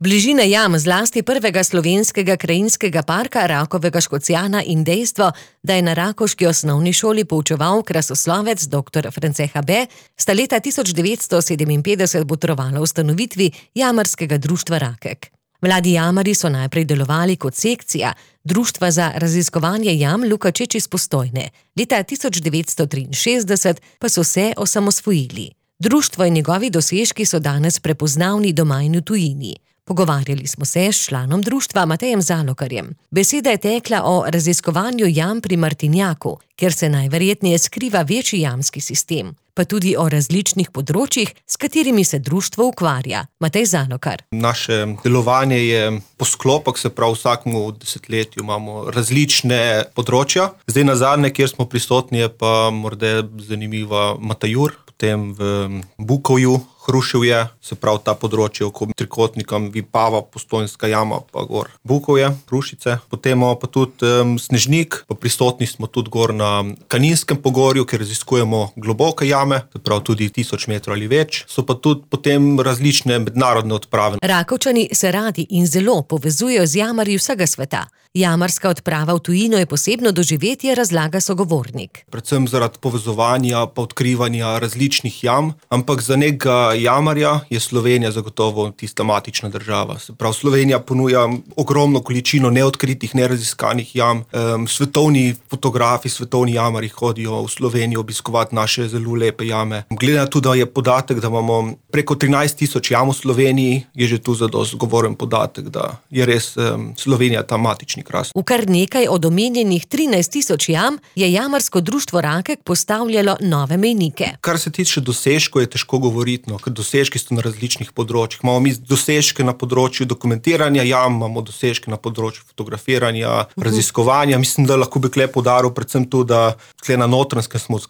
Bližina jam, zlasti prvega slovenskega krajinskega parka Rakovega Škocjana in dejstvo, da je na rakovški osnovni šoli poučeval krasoslovec dr. France Habe, sta leta 1957 botrovala ustanovitvi Jamarskega društva Rakek. Mladi jamarji so najprej delovali kot sekcija Društva za raziskovanje jam Lukačič iz Postojne. Leta 1963 pa so se osamosvojili. Društvo in njegovi dosežki so danes prepoznavni doma in v tujini. Pogovarjali smo se s članom društva Matejem Zalokarjem. Beseda je tekla o raziskovanju jam pri Martinjaku, kjer se najverjetneje skriva večji jamski sistem, pa tudi o različnih področjih, s katerimi se društvo ukvarja. Matej Zalokar. Naše delovanje je po sklopah, se pravi vsakemu desetletju imamo različne področja. Zdaj nazadnje, kjer smo prisotni, je pa morda zanimiva Matajur, potem v Bukovju, Hruševje, se pravi ta področje okoli trikotnika Vipava, Postojnska jama, pa gor Bukovje, Hrušice. Potem imamo pa tudi Snežnik, pa prisotni smo tudi gor na Kaninskem pogorju, kjer raziskujemo globoke jame, se pravi tudi 1000 metrov ali več. So pa tudi potem različne mednarodne odprave. Rakovčani se radi in zelo povezujejo z jamarji vsega sveta. Jamarska odprava v tujino je posebno doživetje, razlaga sogovornik. Predvsem zaradi povezovanja pa odkrivanja različnih jam, ampak za nekega jamarja je Slovenija zagotovo tista matična država. Se pravi, Slovenija ponuja ogromno količino neodkritih, neraziskanih jam. Svetovni fotografi, svetovni jamarji hodijo v Slovenijo obiskovati naše zelo lepe jame. Glede na to, da je podatek, da imamo preko 13 000 jam v Sloveniji, je že tu zadost govoren podatek, da je res Slovenija ta matični kras. V kar nekaj od omenjenih 13 000 jam je Jamarsko društvo Rakek postavljalo nove mejnike. Kar se tiče dosežkov, je težko govoriti, ker dosežki so na različnih področjih. Imamo mi dosežke na področju dokumentiranja jam, imamo dosežke na področju fotografiranja, raziskovanja. Mislim, da lahko bi tukaj poudaril predvsem to, da tukaj na Notranjskem smo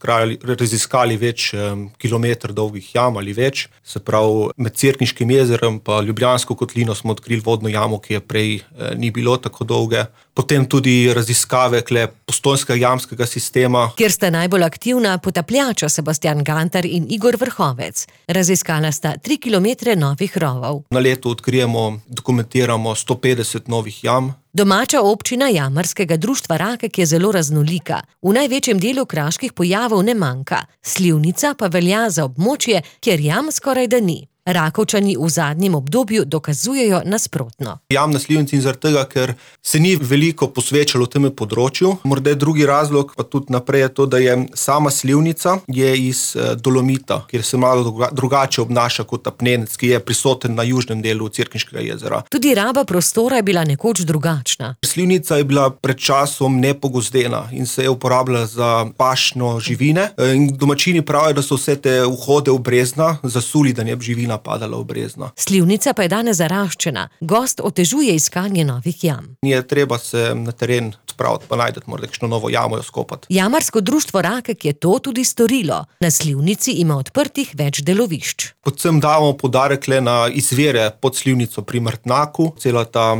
raziskali več kilometrov dolgih jam ali več. Se pravi, med Cerkniškim jezerom pa Ljubljansko kotlino smo odkrili vodno jamo, ki je prej ni bilo tako dolge. Potem tudi raziskave Postojnskega jamskega sistema, kjer sta najbolj aktivna potapljača Sebastian Gantar in Igor Vrhovec. Raziskala sta 3 kilometre novih rovov. Na leto odkrijemo, dokumentiramo 150 novih jam. Domača občina Jamarskega društva Rakek je zelo raznolika. V največjem delu kraških pojavov ne manjka. Slivnica pa velja za območje, kjer jam skorajda ni. Rakovčani v zadnjem obdobju dokazujejo nasprotno. Jam na Slivnici in zaradi tega, ker se ni veliko posvečalo temu področju. Morda drugi razlog, pa tudi naprej je to, da je sama Slivnica je iz dolomita, kjer se malo drugače obnaša kot apnenec, ki je prisoten na južnem delu Cerkniškega jezera. Tudi raba prostora je bila nekoč drugačna. Slivnica je bila pred časom nepogozdena in se je uporabljala za pašno živine. In domačini pravijo, da so vse te vhode v brezna zasuli, da ne bi živina padala v brezno. Slivnica pa je danes zaraščena. Gost otežuje iskanje novih jam. Je treba se na teren spraviti, pa najdeti morda kakšno novo jamo jo skopati. Jamarsko društvo Rakek je to tudi storilo. Na Slivnici ima odprtih več delovišč. Predvsem damo poudarek na izvire pod Slivnico pri Martnaku, cela ta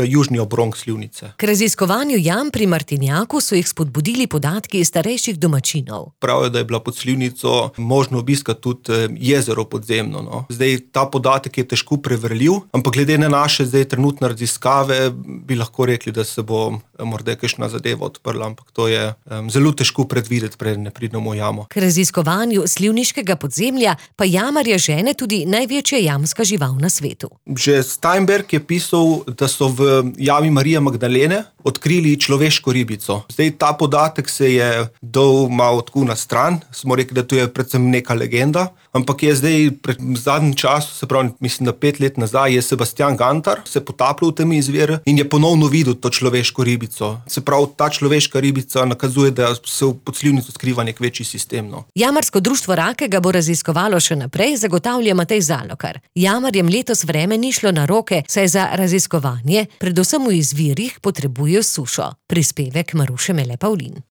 južni obronk Slivnice. K raziskovanju jam pri Martinjaku so jih spodbudili podatki starejših domačinov. Pravijo, da je bila pod Slivnico možno obiskati tudi jezero podzemno. Zdaj, ta podatek je težko preverljiv, ampak glede na naše zdaj trenutne raziskave bi lahko rekli, da se bo morda kakšna zadeva odprla, ampak to je zelo težko predvideti, preden ne pridemo v jamo. K raziskovanju slivniškega podzemlja pa jamarja žene tudi največja jamska žival na svetu. Že Steinberg je pisal, da so v jami Marije Magdalene odkrili človeško ribico. Zdaj, ta podatek se je dal malo tako na stran, smo rekli, da to je predvsem neka legenda, ampak je zdaj pred zadnjem času, se pravi, mislim, da 5 let nazaj, je Sebastian Gantar se potapljal v tem izviru in je ponovno videl to človeško ribico. Se pravi, ta človeška ribica nakazuje, da se v podslivnici skriva nek večji sistem. Jamarsko društvo Rakek ga bo raziskovalo še naprej, zagotavlja Matej Zalokar. Jamarjem letos vreme ni šlo na roke, saj za raziskovanje, predvsem v izvirih, potrebujejo sušo. Prispevek Maruše Mele Pavlin.